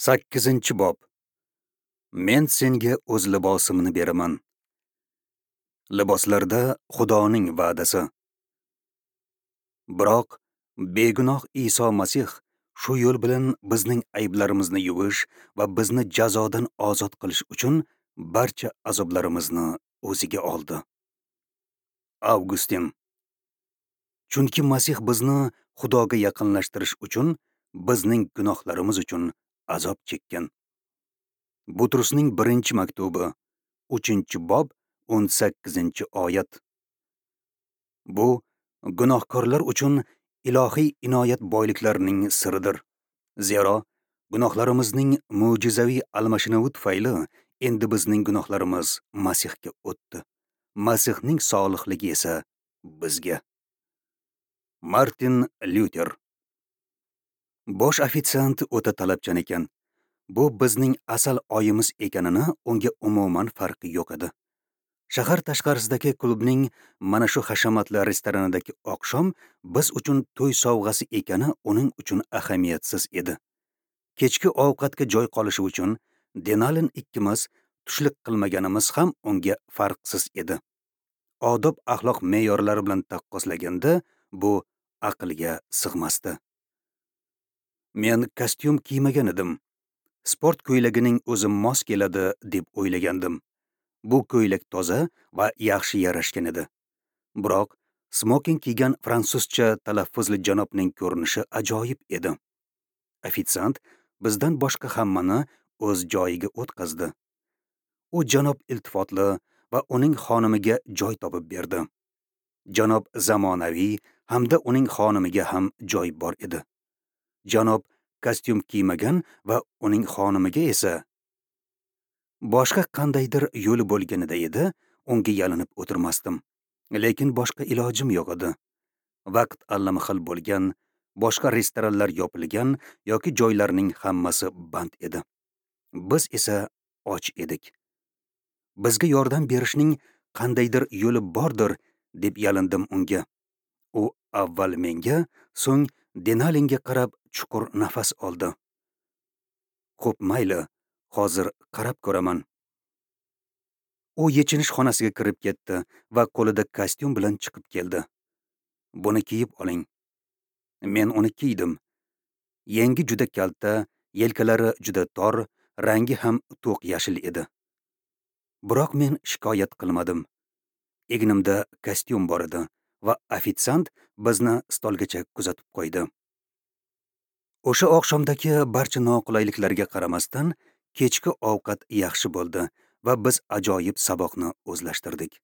8-bob. Men senga o'z libosimni beraman. Liboslarda Xudoning va'dasi. Biroq begunoh Iso Masih shu yo'l bilan bizning ayblarimizni yuvish va bizni jazodan ozod qilish uchun barcha azoblarimizni o'ziga oldi. Avgustin. Chunki Masih bizni Xudoga yaqinlashtirish uchun bizning gunohlarimiz uchun azob chekkan. Butrusning 1-maktubi, 3-bob, 18-oyat. Bu gunohkorlar uchun ilohiy inoyat boyliklarining siridir. Zero gunohlarimizning mo'jizaviy almashinuvi tufayli endi bizning gunohlarimiz Masihga o'tdi. Masihning solihligi esa bizga. Martin Lyuter. Bosh ofitsiant o'ta talabchan ekan. Bu bizning asal oyimiz ekanini unga umuman farqi yo'q edi. Shahar tashqarisidagi klubning mana shu hashamatli restoranidagi oqshom biz uchun to'y sovg'asi ekani uning uchun ahamiyatsiz edi. Kechki ovqatga joy qolishi uchun Denalin ikkimiz tushlik qilmaganimiz ham unga farqsiz edi. Odob axloq me'yorlari bilan taqqoslaganda bu aqlga sig'masdi. Men kostyum kiymagan edim. Sport ko'ylagining o'zi mos keladi deb o'ylagandim. Bu ko'ylak toza va yaxshi yarashgan edi. Biroq smoking kiygan fransuzcha talaffuzli janobning ko'rinishi ajoyib edi. Ofitsiant bizdan boshqa hammani o'z joyiga o'tqazdi. U janob iltifotli va uning xonimiga joy topib berdi. Janob zamonaviy hamda uning xonimiga ham joy bor edi. Janob kostyum kiymagan va uning xonimiga esa boshqa qandaydir yo'li bo'lganida edi, unga yalinib o'tirmasdim. Lekin boshqa ilojim yo'q edi. Vaqt allamahal bo'lgan, boshqa restoranlar yopilgan yoki joylarning hammasi band edi. Biz esa och edik. Bizga yordam berishning qandaydir yo'li bordir deb yalindim unga. U avval menga, so'ng Denalinga qarab chuqur nafas oldi. Xo'p, mayli, hozir qarab ko'raman. U yechinish xonasiga kirib ketdi va qo'lida kostyum bilan chiqib keldi. Buni kiyib oling. Men uni kiydim. Yengi juda kalta, yelkalari juda tor, rangi ham to'q yashil edi. Biroq men shikoyat qilmadim. Egnimda kostyum bor edi va ofitsiant bizni stolgacha kuzatib qo'ydi. O'sha oqshomdagi barcha noqulayliklarga qaramasdan, kechki ovqat yaxshi bo'ldi va biz ajoyib saboqni o'zlashtirdik.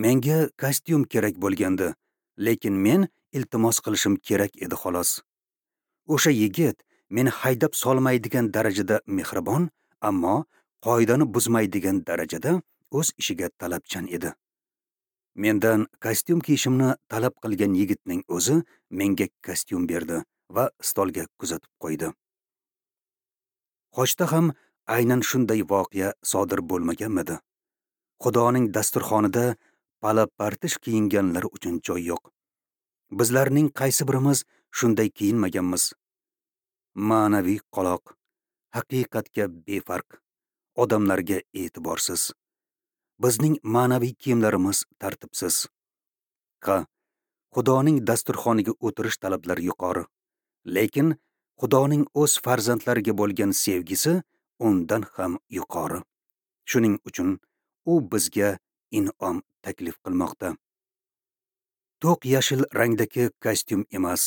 Menga kostyum kerak bo'lgandi, lekin men iltimos qilishim kerak edi xolos. O'sha yigit meni haydab solmaydigan darajada mehribon, ammo qoidani buzmaydigan darajada o'z ishiga talabchan edi. Mendan kostyum kiyishimni talab qilgan yigitning o'zi menga kostyum berdi va stolga kuzatib qo'ydi. Xochda ham aynan shunday voqea sodir bo'lmaganmidi? Xudoning dasturxonida pala-partish kiyinganlar uchun joy yo'q. Bizlarning qaysi birimiz shunday kiyinmaganmiz? Ma'naviy qoloq, haqiqatga befarq, odamlarga e'tiborsiz. Bizning ma'naviy kiyimlarimiz tartibsiz. Ha, Xudoning dasturxoniga o'tirish talablari yuqori. Lekin Xudoning o'z farzandlariga bo'lgan sevgisi undan ham yuqori. Shuning uchun u bizga in'om taklif qilmoqda. To'q yashil rangdagi kostyum emas,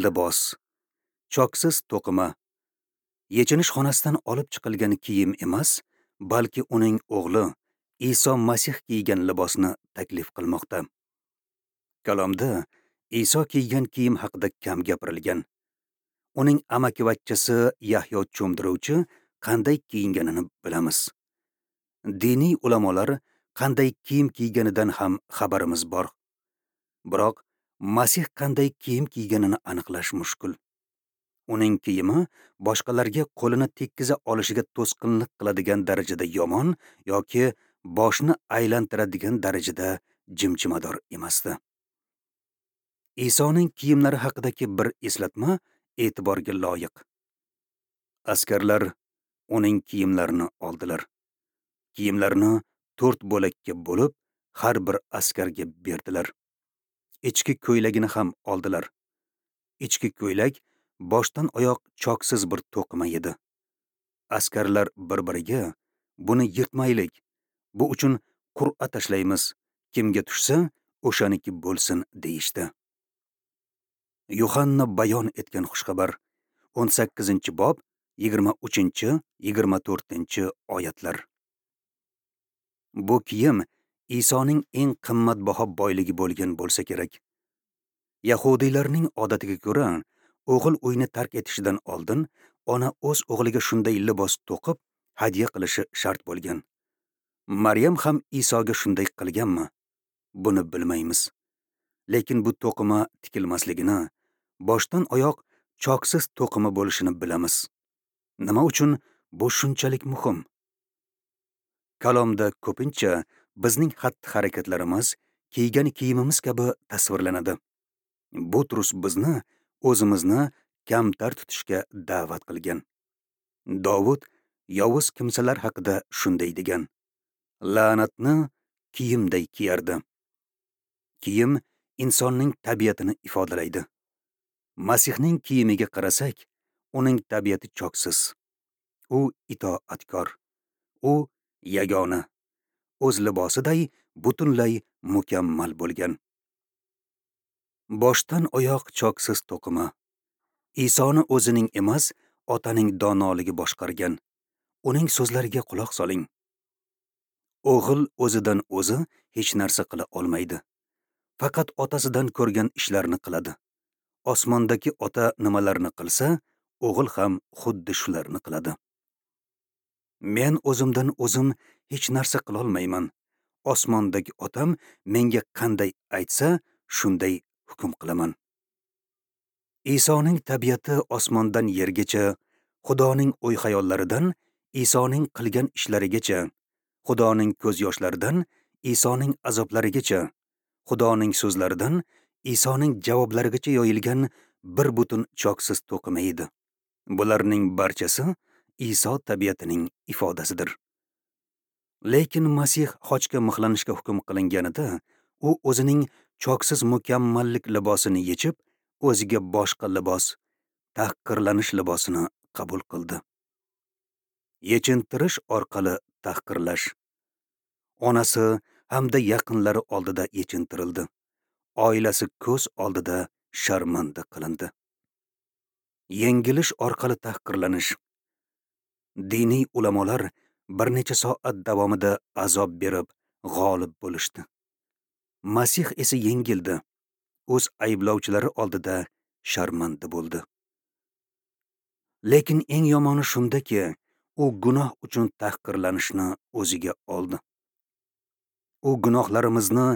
libos, choksiz to'qima, yechinish xonasidan olib chiqilgan kiyim emas, balki uning o'g'li Iso Masih kiygan libosni taklif qilmoqda. Kalomda Iso kiygan kiyim haqida kam gapirilgan. Uning amakivachchasi Yahyo cho'mdiruvchi qanday kiyinganini bilamiz. Diniy ulamolar qanday kiyim kiyganidan ham xabarimiz bor. Biroq Masih qanday kiyim kiyganini aniqlash mushkul. Uning kiyimi boshqalarga qo'lini tekkiza olishiga to'sqinlik qiladigan darajada yomon yoki boshni aylantiradigan darajada jimjimador emasdi. Isoning kiyimlari haqidagi bir eslatma e'tiborga loyiq. Askarlar uning kiyimlarini oldilar. Kiyimlarini 4 bo'lakka bo'lib, har bir askarga berdilar. Ichki ko'ylagini ham oldilar. Ichki ko'ylak boshdan oyoq choksiz bir to'qima edi. Askarlar bir-biriga: "Buni yirtmaylik, bu uchun qur'a tashlaymiz, kimga tushsa, o'shaniki bo'lsin" deyishdi. Yuhanna bayon etgan xushxabar 18-bob 23-24 oyatlar. Bu kiyim Isoning eng qimmatbaho boyligi bo'lgan bo'lsa kerak. Yahudiylarning odatiga ko'ra, o'g'il uyni tark etishidan oldin ona o'z o'g'liga shunday libos to'qib hadya qilishi shart bo'lgan. Maryam ham Isoga shunday qilganmi? Buni bilmaymiz. Lekin bu to'qima tikilmasligini, boshdan oyoq choksiz to'qima bo'lishini bilamiz. Nima uchun bu shunchalik muhim? Kalomda ko'pincha bizning xatti-harakatlarimiz kiygan kiyimimiz kabi tasvirlanadi. Butrus bizni o'zimizni kamtar tutishga da'vat qilgan. Dovud yovuz kimsalar haqida shunday degan: "La'natni kiyimday kiyardi." Kiyim insonning tabiatini ifodalaydi. Masihning kiyimiga qarasak, uning tabiati choksiz. U itoatkor. U yagona. O'z libosiday butunlay mukammal bo'lgan. Boshdan oyoq choksiz to'qima. Isoni o'zining emas, Otaning donoligi boshqargan. Uning so'zlariga quloq soling. O'g'il o'zidan o'zi hech narsa qila olmaydi. Faqat otasidan ko'rgan ishlarni qiladi. Osmondagi ota nimalarni qilsa, o'g'il ham xuddi shularni qiladi. Men o'zimdan o'zim hech narsa qilolmayman. Osmondagi otam menga qanday aytsa, shunday hukm qilaman. Isoning tabiati osmondan yergacha, Xudoning o'y-xayollaridan Isoning qilgan ishlarigacha, Xudoning ko'z yoshlaridan Isoning azoblarigacha, Xudoning so'zlaridan Isoning javoblarigacha yoyilgan bir butun choksiz to'qima edi. Bularning barchasi Iso tabiatining ifodasidir. Lekin Masih xochga mixlanishga hukm qilinganida, u o'zining choksiz mukammallik libosini yechib, o'ziga boshqa libos, tahqirlanish libosini qabul qildi. Yechintirish orqali tahqirlash. Onasi hamda yaqinlari oldida yechintirildi. Oilasi ko'z oldida sharmanda qilindi. Yengilish orqali tahqirlanish. Diniy ulamolar bir necha soat davomida azob berib, g'olib bo'lishdi. Masih esa yengildi. O'z ayblovchilari oldida sharmanda bo'ldi. Lekin eng yomoni shundaki, u gunoh uchun tahqirlanishni o'ziga oldi. U gunohlarimizni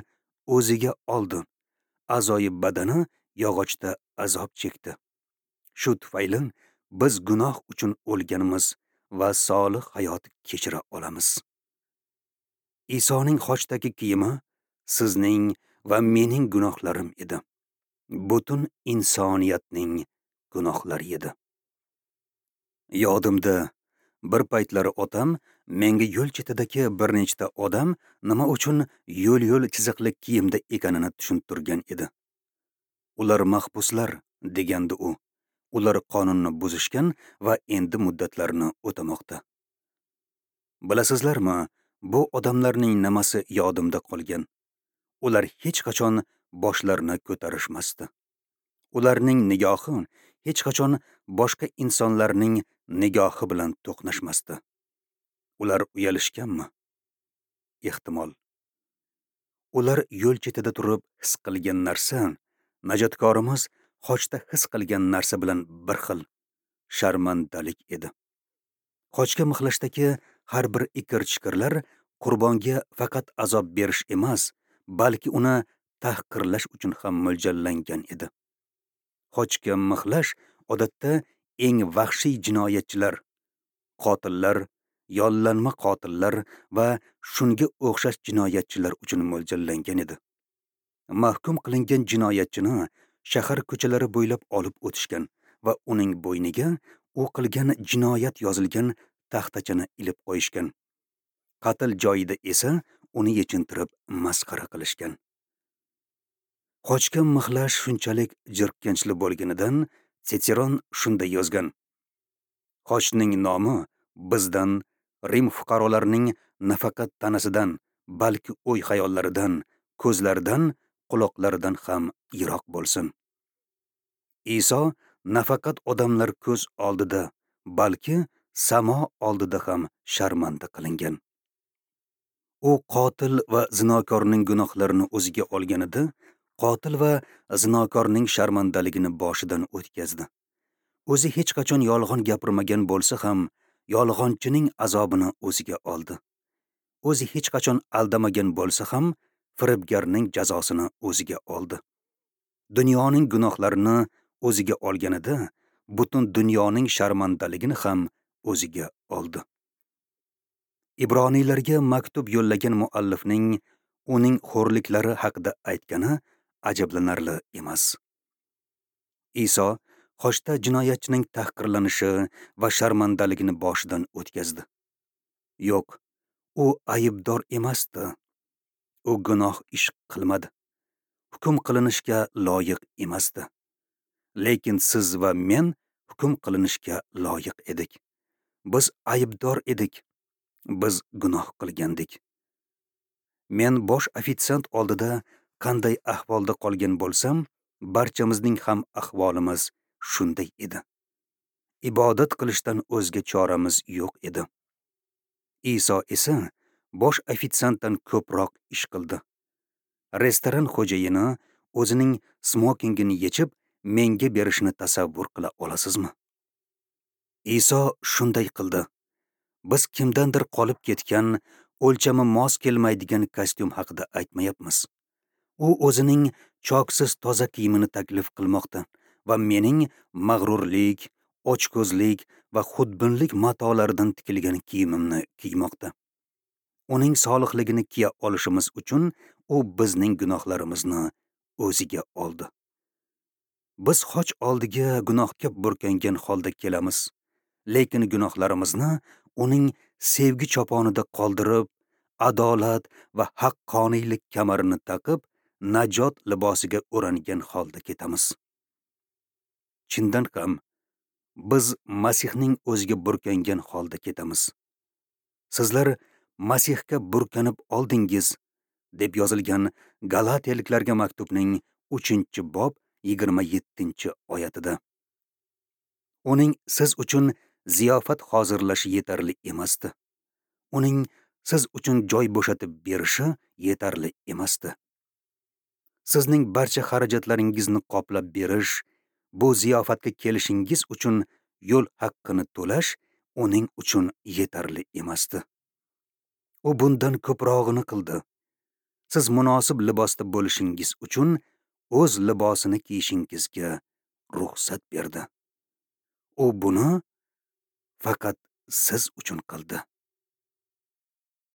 o'ziga oldi. A'zoyi badani yog'ochda azob chekdi. Shu tufayli biz gunoh uchun o'lganmiz va solih hayot kechira olamiz. Isoning xochdagi kiyimi sizning va mening gunohlarim edi. Butun insoniyatning gunohlari edi. Yodimda, bir paytlari otam menga yo'l chetidagi bir nechta odam nima uchun yo'l-yo'l chiziqli kiyimda ekanini tushuntirgan edi. Ular mahbuslar, degandi u. Ular qonunni buzishgan va endi muddatlarini o'tamoqda. Bilasizlarmi, bu odamlarning nimasi yodimda qolgan? Ular hech qachon boshlarini ko'tarishmasdi. Ularning nigohi hech qachon boshqa insonlarning nigohi bilan to'qnashmasdi. Ular uyalishganmi? Ehtimol. Ular yo'l chetida turib his qilgan narsa, najotkorimiz xochda his qilgan narsa bilan bir xil sharmandalik edi. Xochga mixlashdagi har bir ikir-chikirlar qurbonga faqat azob berish emas, balki uni tahqirlash uchun ham mo'ljallangan edi. Xochga mixlash odatda eng vahshiy jinoyatchilar, qotillar, yollanma qotillar va shunga o'xshash jinoyatchilar uchun mo'ljallangan edi. Mahkum qilingan jinoyatchini shahar ko'chalari bo'ylab olib o'tishgan va uning bo'yniga u qilgan jinoyat yozilgan taxtachani ilib qo'yishgan. Qatl joyida esa uni yechintirib masxara qilishgan. Xochga mixlash shunchalik jirkanchli bo'lganidan Sitseron shunday yozgan: Xochning nomi bizdan, Rim fuqarolarining nafaqat tanasidan, balki o'y-xayollaridan, ko'zlaridan, quloqlaridan ham yiroq bo'lsin. Iso nafaqat odamlar ko'z oldida, balki samo oldida ham sharmanda qilingan. U qotil va zinokorning gunohlarini o'ziga olganida, qotil va zinokorning sharmandaligini boshidan o'tkazdi. O'zi hech qachon yolg'on gapirmagan bo'lsa ham, yolg'onchining azobini o'ziga oldi. O'zi hech qachon aldamagan bo'lsa ham, firibgarning jazosini o'ziga oldi. Dunyoning gunohlarini o'ziga olganida, butun dunyoning sharmandaligini ham o'ziga oldi. Ibroniylarga maktub yo'llagan muallifning uning xo'rliklari haqida aytgani ajablanarli emas. Iso xochda jinoyatchining tahqirlanishi va sharmandaligini boshidan o'tkazdi. Yo'q, u aybdor emasdi. U gunoh ish qilmadi. Hukm qilinishga loyiq emasdi. Lekin siz va men hukm qilinishga loyiq edik. Biz aybdor edik. Biz gunoh qilgandik. Men bosh ofitsiant oldida qanday ahvolda qolgan bo'lsam, barchamizning ham ahvolimiz shunday edi. Ibodat qilishdan o'zga choramiz yo'q edi. Iso esa bosh ofitsiantdan ko'proq ish qildi. Restoran xo'jayini o'zining smokingini yechib menga berishini tasavvur qila olasizmi? Iso shunday qildi. Biz kimdandir qolib ketgan, o'lchami mos kelmaydigan kostyum haqida aytmayapmiz. U o'zining choksiz toza kiyimini taklif qilmoqda va mening mag'rurlik, ochko'zlik va xudbinlik matolaridan tikilgan kiyimimni kiymoqda. Uning solihligini kiya olishimiz uchun u bizning gunohlarimizni o'ziga oldi. Biz xoch oldiga gunohga burkangan holda kelamiz, lekin gunohlarimizni uning sevgi choponida qoldirib, adolat va haqqoniylik kamarini taqib, najot libosiga o'rangan holda ketamiz. Chindan ham biz Masihning o'ziga burkangan holda ketamiz. Sizlar Masihga burkanib oldingiz, deb yozilgan Galatiyaliklarga maktubning 3-bob 27-oyatida. Uning siz uchun ziyofat hozirlashi yetarli emasdi. Uning siz uchun joy bo'shatib berishi yetarli emasdi. Sizning barcha xarajatlaringizni qoplab berish, bu ziyofatga kelishingiz uchun yo'l haqqini to'lash uning uchun yetarli emasdi. U bundan ko'prog'ini qildi. Siz munosib libosda bo'lishingiz uchun o'z libosini kiyishingizga ruxsat berdi. U buni faqat siz uchun qildi.